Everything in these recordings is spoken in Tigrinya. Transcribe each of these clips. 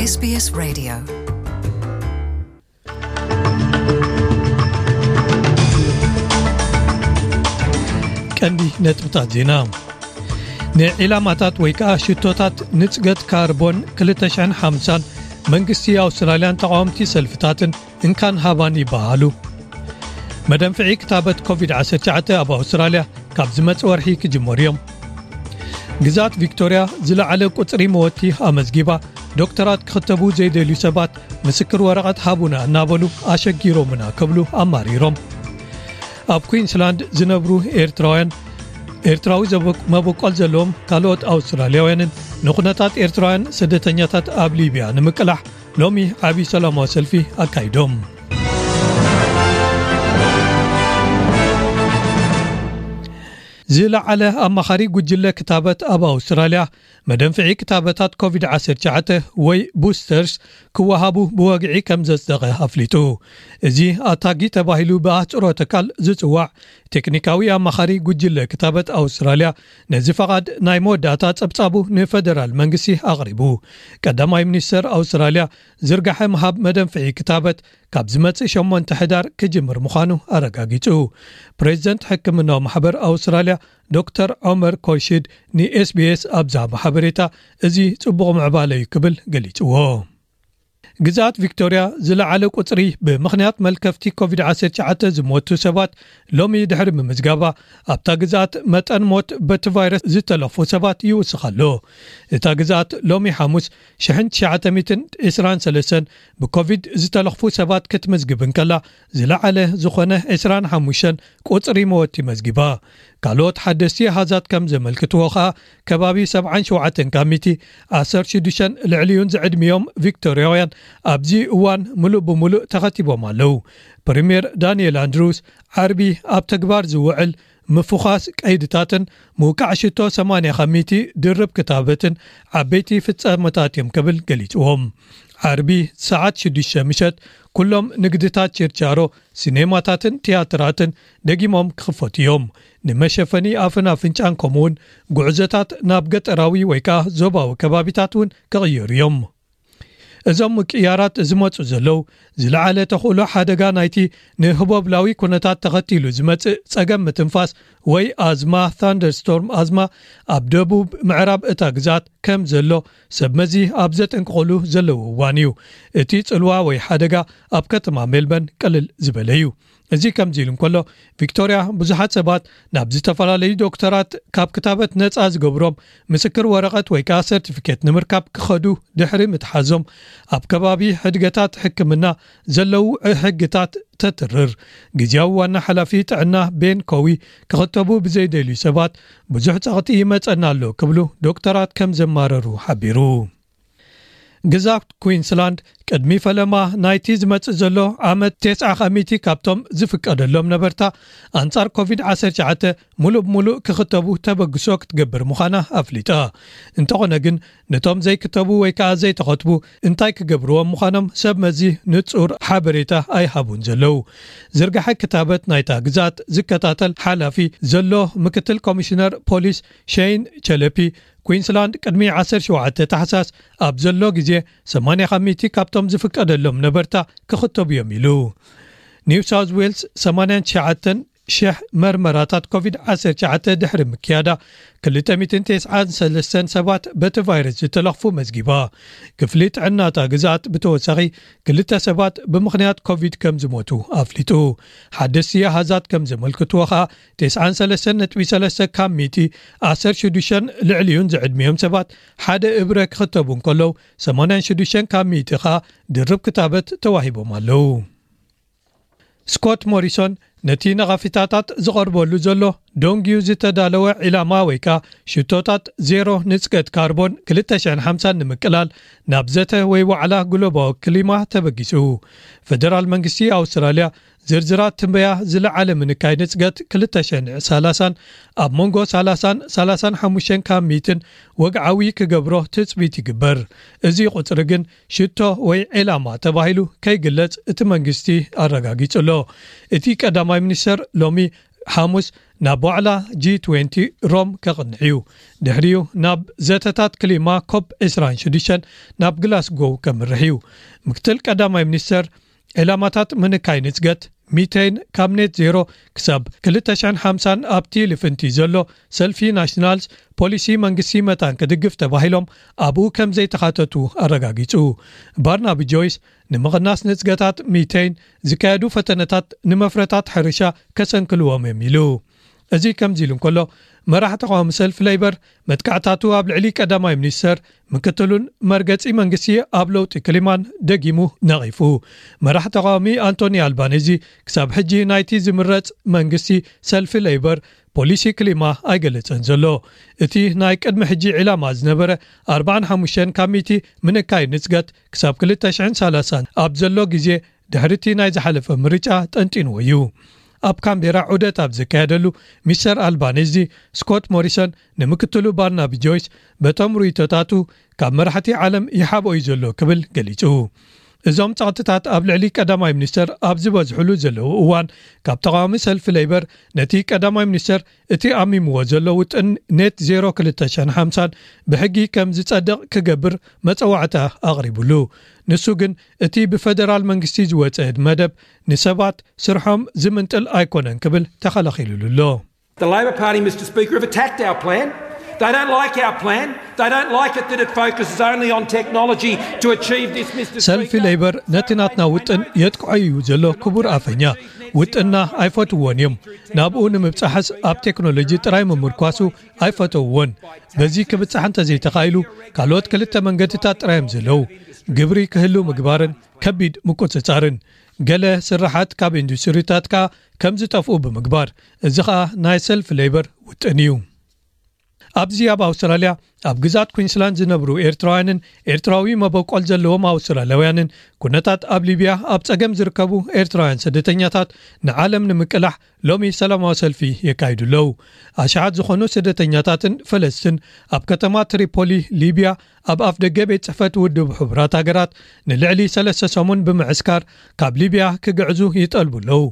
SBS Radio. ቀንዲ ነጥብታት ዜና። ንዒላማታት ወይ ከዓ ሽቶታት ንፅገት ካርቦን ክልተ ሽሕን ሓምሳን መንግስቲ ኣውስትራልያን ተቃወምቲ ሰልፍታትን እንካን ሃባን ይበሃሉ። መደንፍዒ ክታበት ኮቪድ ዓሰርተ ትሽዓተ ኣብ ኣውስትራልያ ካብ ዝመጽእ ወርሒ ክጅመሩ እዮም። ግዛት ቪክቶርያ ዝለዓለ ቁጽሪ መወቲ ኣመዝጊባ፣ ዶክተራት ክኽተቡ ዘይደልዩ ሰባት ምስክር ወረቐት ሃቡና እናበሉ ኣሸጊሮምና ክብሉ ኣማሪሮም። ኣብ ኩዊንስላንድ ዝነብሩ ኤርትራውያን፣ ኤርትራዊ ዘበ-፣ መበቆል ዘለዎም ካልኦት ኣውስትራልያውያንን ንኹነታት ኤርትራውያን ስደተኛታት ኣብ ሊብያ ንምቅላሕ ሎሚ ዓቢ ሰላማዊ ሰልፊ ኣካይዶም። ዝለዓለ ኣማኻሪ ጉጅለ ክታበት ኣብ ኣውስትራልያ፣ መደንፍዒ ክታበታት ኮቪድ ዓሰርተ ትሽዓተ ወይ ቡስተርስ ክወሃቡ ብወግዒ ከም ዘጽደቐ ኣፍሊጡ። እዚ ኣታጊ ተባሂሉ ብኣህጽሮተ ቃል ዝጽዋዕ ቴክኒካዊ ኣማኻሪ ጉጅለ ክታበት ኣውስትራልያ፣ ነዚ ፈቓድ ናይ መወዳእታ ጸብጻቡ ንፈደራል መንግስቲ ኣቕሪቡ። ቀዳማይ ሚኒስተር ኣውስትራልያ ዝርጋሐ ምሃብ መደንፍዒ ክታበት ካብ ዝመጽእ ሸሞንተ ሕዳር ክጅምር ምዃኑ ኣረጋጊጹ። ፕሬዚደንት ሕክምናዊ ማሕበር ኣውስትራልያ ዶክተር ዖመር ኮርሺድ ን SBS ኣብ ዝሃቦ ሓበሬታ፣ እዚ ጽቡቕ ምዕባለ እዩ ክብል ገሊጽዎ። ግዝኣት ቪክቶርያ ዝለዓለ ቁጽሪ ብምኽንያት መልከፍቲ ኮቪድ ዓሰርተ ትሽዓተ ዝሞቱ ሰባት ሎሚ ድሕሪ ምምዝጋባ፣ ኣብታ ግዝኣት መጠን ሞት በቲ ቫይረስ ዝተለኽፉ ሰባት ይውስኽ ኣሎ። እታ ግዝኣት ሎሚ ሓሙስ ሽሕን ትሽዓተ ሚእትን ዕስራን ሰለስተን ብኮቪድ ዝተለኽፉ ሰባት ክትምዝግብ እንከላ፣ ዝለዓለ ዝኾነ ዕስራን ሓሙሽተን ቁጽሪ መወቲ መዝጊባ። ካልኦት ሓደስቲ ኣሃዛት ከም ዘመልክትዎ ኸኣ፣ ከባቢ ሰብዓን ሸውዓተን ካብ ሚእቲ፣ ዓሰርተ ሽዱሽተን ልዕሊኡን ዝዕድሚኦም ቪክቶርያውያን ኣብዚ እዋን ምሉእ ብምሉእ ተኸቲቦም ኣለዉ። ፕሪምየር ዳንኤል ኣንድሩስ ዓርቢ ኣብ ተግባር ዝውዕል ምፍዃስ ቀይድታትን ምውቃዕ ሽቶ ሰማንያ ካብ ሚእቲ ድርብ ክታበትን ዓበይቲ ፍጻመታት እዮም ክብል ገሊጽዎም። ዓርቢ ሰዓት ሽዱሽተ ምሸት ኩሎም ንግድታት ችርቻሮ፣ ሲኔማታትን ቲያትራትን ደጊሞም ክኽፈቱ እዮም። ንመሸፈኒ ኣፍን ኣፍንጫን ከምኡውን ጉዕዞታት ናብ ገጠራዊ ወይ ከኣ ዞባዊ ከባቢታት እውን ክቕየሩ እዮም። እዞም ምቅያራት ዝመጹ ዘለዉ፣ ዝለዓለ ተኽእሎ ሓደጋ ናይቲ ንህቦብላዊ ኩነታት ተኸቲሉ ዝመጽእ ጸገም ምትንፋስ ወይ ኣዝማ፣ ታንደርስቶርም ኣዝማ፣ ኣብ ደቡብ ምዕራብ እታ ግዛት ከም ዘሎ ሰብ መዚ ኣብ ዘጠንቅቑሉ ዘለዉ እዋን እዩ። እቲ ጽልዋ ወይ ሓደጋ ኣብ ከተማ ሜልበርን ቅልል ዝበለ እዩ። እዚ ከምዚ ኢሉ እንከሎ፣ ቪክቶርያ ብዙሓት ሰባት ናብ ዝተፈላለዩ ዶክተራት ካብ ክታበት ነጻ ዝገብሮም ምስክር ወረቐት ወይ ከኣ ሰርቲፊኬት ንምርካብ ክኸዱ ድሕሪ ምትሓዞም፣ ኣብ ከባቢ ሕድገታት ሕክምና ዘለዉ ሕግታት ተትርር። ግዝያዊ ዋና ሓላፊ ጥዕና ቤን ኮዊ፣ ክኽተቡ ብዘይደልዩ ሰባት ብዙሕ ጸቕጢ ይመጸና ኣሎ ክብሉ ዶክተራት ከም ዘማረሩ ሓቢሩ። ግዛት ኩዊንስላንድ ቅድሚ ፈለማ ናይቲ ዝመጽእ ዘሎ ዓመት፣ ተስዓ ካብ ሚእቲ ካብቶም ዝፍቀደሎም ነበርታ ኣንጻር ኮቪድ ዓሰርተ ትሽዓተ ምሉእ ብምሉእ ክኽተቡ ተበግሶ ክትገብር ምዃና ኣፍሊጣ። እንተኾነ ግን፣ ነቶም ዘይክተቡ ወይ ከኣ ዘይተኸትቡ እንታይ ክገብርዎም ምዃኖም ሰብ መዚ ንጹር ሓበሬታ ኣይሃቡን ዘለዉ። ዝርጋሐ ክታበት ናይታ ግዛት ዝከታተል ሓላፊ ዘሎ ምክትል ኮሚሽነር ፖሊስ ሸይን ቸለፒ፣ ኩዊንስላንድ ቅድሚ ዓሰርተ ሸውዓተ ታሕሳስ ኣብ ዘሎ ግዜ ሰማንያ ካብ ሚእቲ ካብቶም ዝፍቀደሎም ነበርታ ክኽተቡ እዮም ኢሉ። ኒው ሳውዝ ዌልስ ሰማንያን ትሽዓተን ሽሕ መርመራታት ኮቪድ ዓሰርተ ትሽዓተ ድሕሪ ምክያዳ፣ ክልተ ሚእትን ተስዓን ሰለስተን ሰባት በቲ ቫይረስ ዝተለኽፉ መዝጊባ። ክፍሊ ጥዕና እታ ግዝኣት ብተወሳኺ ክልተ ሰባት ብምኽንያት ኮቪድ ከም ዝሞቱ ኣፍሊጡ። ሓደስቲ ኣሃዛት ከም ዘመልክትዎ ኸኣ፣ ተስዓን ሰለስተን ነጥቢ ሰለስተ ካብ ሚእቲ፣ ዓሰርተ ሽዱሽተን ልዕሊኡን ዝዕድሚኦም ሰባት ሓደ እብረ ክኽተቡ እንከለዉ፣ ሰማንያን ሽዱሽተን ካብ ሚእቲ ኸኣ ድርብ ክታበት ተዋሂቦም ኣለዉ። ስኮት ሞሪሶን ነቲ ነቐፊታታት ዝቐርበሉ ዘሎ ደንጊዩ ዝተዳለወ ዒላማ ወይ ከኣ ሽቶታት ዜሮ ንጽገት ካርቦን ክልተ ሽሕን ሓምሳን ንምቅላል ናብ ዘተ ወይ ዋዕላ ግሎባዊ ክሊማ ተበጊሱ። ፈደራል መንግስቲ ኣውስትራልያ ዝርዝራት ትንበያ ዝለዓለ ምንካይ ንጽገት ክልተ ሽሕን ሰላሳን ኣብ መንጎ ሰላሳን ሰላሳን ሓሙሽተን ካብ ሚእትን ወግዓዊ ክገብሮ ትጽቢት ይግበር። እዚ ቁጽሪ ግን ሽቶ ወይ ዒላማ ተባሂሉ ከይግለጽ እቲ መንግስቲ ኣረጋጊጹ ኣሎ። እቲ ቀዳማይ ሚኒስተር ሎሚ ሓሙስ ናብ ዋዕላ ጂ ትዌንቲ ሮም ከቕንዕ እዩ። ድሕሪኡ ናብ ዘተታት ክሊማ ኮፕ ዕስራን ሽዱሽተን ናብ ግላስጎው ከምርሕ እዩ። ምክትል ቀዳማይ ሚኒስተር ዕላማታት ምንካይ ንጽገት ሚቴን ካብ ኔት ዜሮ ክሳብ ክልተ ሽሕን ሓምሳን ኣብቲ ልፍንቲ ዘሎ ሰልፊ ናሽናልስ ፖሊሲ መንግስቲ መታን ክድግፍ ተባሂሎም ኣብኡ ከም ዘይተኻተቱ ኣረጋጊጹ። ባርናቢ ጆይስ ንምቕናስ ንጽገታት ሚቴን ዝካየዱ ፈተነታት ንመፍረታት ሕርሻ ከሰንክልዎም እዮም ኢሉ። እዚ ከምዚ ኢሉ እንከሎ፣ መራሕ ተቃዋሚ ሰልፊ ሌይበር መጥቃዕታቱ ኣብ ልዕሊ ቀዳማይ ሚኒስተር ምክትሉን መርገጺ መንግስቲ ኣብ ለውጢ ክሊማን ደጊሙ ነቒፉ። መራሕ ተቃዋሚ ኣንቶኒ ኣልባኔዚ ክሳብ ሕጂ ናይቲ ዝምረጽ መንግስቲ ሰልፊ ሌይበር ፖሊሲ ክሊማ ኣይገለጸን ዘሎ። እቲ ናይ ቅድሚ ሕጂ ዕላማ ዝነበረ ኣርባዓን ሓሙሽተን ካብ ሚእቲ ምንካይ ንጽገት ክሳብ ክልተ ሽሕን ሰላሳን ኣብ ዘሎ ግዜ ድሕሪቲ ናይ ዝሓለፈ ምርጫ ጠንጢንዎ እዩ። ኣብ ካምቤራ ዑደት ኣብ ዘካየደሉ፣ ሚስተር ኣልባኔዚ ስኮት ሞሪሰን ንምክትሉ ባርናቢ ጆይስ በቶም ርእይቶታቱ ካብ መራሕቲ ዓለም ይሓብኦ እዩ ዘሎ ክብል ገሊጹ። እዞም ጸቕጥታት ኣብ ልዕሊ ቀዳማይ ሚኒስተር ኣብ ዝበዝሕሉ ዘለዉ እዋን፣ ካብ ተቃዋሚ ሰልፊ ሌይበር ነቲ ቀዳማይ ሚኒስተር እቲ ኣሚምዎ ዘሎ ውጥን ኔት ዜሮ ክልተ ሽሕን ሓምሳን ብሕጊ ከም ዝጸድቕ ክገብር መጸዋዕታ ኣቕሪቡሉ። ንሱ ግን እቲ ብፈደራል መንግስቲ ዝወጸ መደብ ንሰባት ስርሖም ዝምንጥል ኣይኮነን ክብል ተኸላኺሉሉ ኣሎ። The Labor Party, Mister Speaker, have attacked our plan. They don't like our plan. They don't like it that it focuses only on technology to achieve this, Mister ሰልፊ Speaker. ሌይበር ነቲ ናትና ውጥን የጥቅዖ እዩ ዘሎ። ክቡር ኣፈኛ፣ ውጥንና ኣይፈትውዎን እዮም። ናብኡ ንምብጻሕስ ኣብ ቴክኖሎጂ ጥራይ ምምርኳሱ ኣይፈተውዎን። በዚ ክብጻሕ እንተዘይተኻኢሉ፣ ካልኦት ክልተ መንገድታት ጥራይ እዮም ዘለዉ። ግብሪ ክህሉ ምግባርን ከቢድ ምቁጽጻርን። ገለ ስራሓት ካብ ኢንዱስትሪታት ከኣ ከም ዝጠፍኡ ብምግባር። እዚ ኸኣ ናይ ሰልፊ ሌይበር ውጥን እዩ። ኣብዚ ኣብ ኣውስትራልያ ኣብ ግዛት ኩንስላንድ ዝነብሩ ኤርትራውያንን ኤርትራዊ መበቆል ዘለዎም ኣውስትራልያውያንን ኩነታት ኣብ ሊብያ ኣብ ጸገም ዝርከቡ ኤርትራውያን ስደተኛታት ንዓለም ንምቅላሕ ሎሚ ሰላማዊ ሰልፊ የካይዱ ኣለዉ። ኣሽሓት ዝኾኑ ስደተኛታትን ፈለስትን ኣብ ከተማ ትሪፖሊ ሊብያ ኣብ ኣፍ ደገ ቤት ጽሕፈት ውድብ ሕቡራት ሃገራት ንልዕሊ ሰለስተ ሰሙን ብምዕስካር ካብ ሊብያ ክግዕዙ ይጠልቡ ኣለዉ።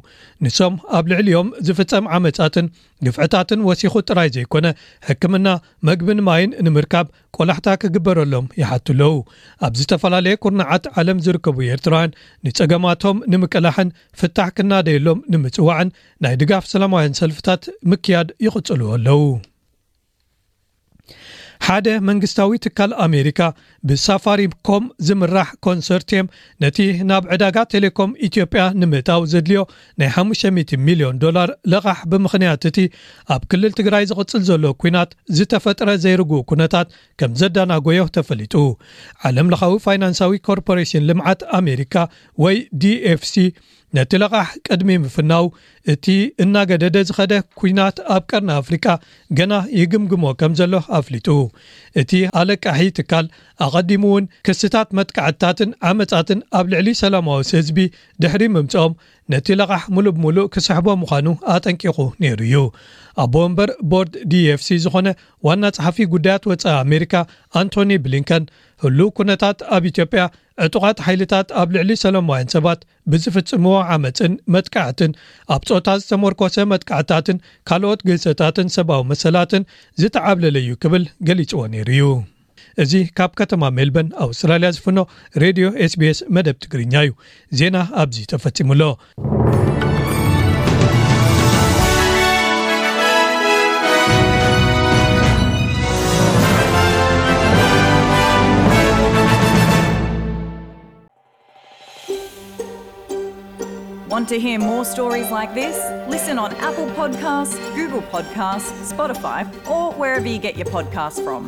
ንሶም ኣብ ልዕሊኦም ዝፍጸም ዓመጻትን ግፍዕታትን ወሲኹ ጥራይ ዘይኮነ፣ ሕክምና፣ መግብን ማይን ንምርካብ ቆላሕታ ክግበረሎም ይሓቱ ኣለዉ። ኣብ ዝተፈላለየ ኩርናዓት ዓለም ዝርከቡ ኤርትራውያን ንጸገማቶም ንምቅላሕን ፍታሕ ክናደየሎም ንምጽዋዕን ናይ ድጋፍ ሰላማውያን ሰልፍታት ምክያድ ይቕጽሉ ኣለዉ። ሓደ መንግስታዊ ትካል ኣሜሪካ ብሳፋሪኮም ዝምራሕ ኮንሶርቲየም ነቲ ናብ ዕዳጋ ቴሌኮም ኢትዮጵያ ንምእታው ዘድልዮ ናይ ሓሙሽተ ሚእቲ ሚልዮን ዶላር ለቓሕ ብምኽንያት እቲ ኣብ ክልል ትግራይ ዝቕጽል ዘሎ ኲናት ዝተፈጥረ ዘይርጉእ ኩነታት ከም ዘዳናጎዮ ተፈሊጡ። ዓለም ለኻዊ ፋይናንሳዊ ኮርፖሬሽን ልምዓት ኣሜሪካ ወይ ዲ ኤፍ ሲ ነቲ ለቓሕ ቅድሚ ምፍናው እቲ እናገደደ ዝኸደ ኲናት ኣብ ቀርኒ ኣፍሪቃ ገና ይግምግሞ ከም ዘሎ ኣፍሊጡ። እቲ ኣለቃሒ ትካል ኣቐዲሙ እውን ክስታት መጥቃዕትታትን ዓመጻትን ኣብ ልዕሊ ሰላማዊ ህዝቢ ድሕሪ ምምጽኦም ነቲ ለቓሕ ሙሉእ ብሙሉእ ክስሕቦ ምዃኑ ኣጠንቂቑ ነይሩ እዩ። ኣቦ ወንበር ቦርድ ዲ ኤፍ ሲ ዝኾነ ዋና ጸሓፊ ጉዳያት ወጻኢ ኣሜሪካ ኣንቶኒ ብሊንከን ህሉው ኩነታት ኣብ ኢትዮጵያ ዕጡቓት ሓይልታት ኣብ ልዕሊ ሰላማውያን ሰባት ብዝፍጽምዎ ዓመጽን መጥቃዕትን ኣብ ጾታ ዝተመርኮሰ መጥቃዕታትን ካልኦት ግህሰታትን ሰብኣዊ መሰላትን ዝተዓብለለ እዩ ክብል ገሊጽዎ ነይሩ እዩ። እዚ ካብ ከተማ ሜልበርን ኣውስትራልያ ዝፍኖ ሬድዮ ኤስ ቢ ኤስ መደብ ትግርኛ እዩ። ዜና ኣብዚ ተፈጺሙ ኣሎ። Want to hear more stories like this? Listen on Apple Podcasts, Google Podcasts, Spotify, or wherever you get your podcasts from.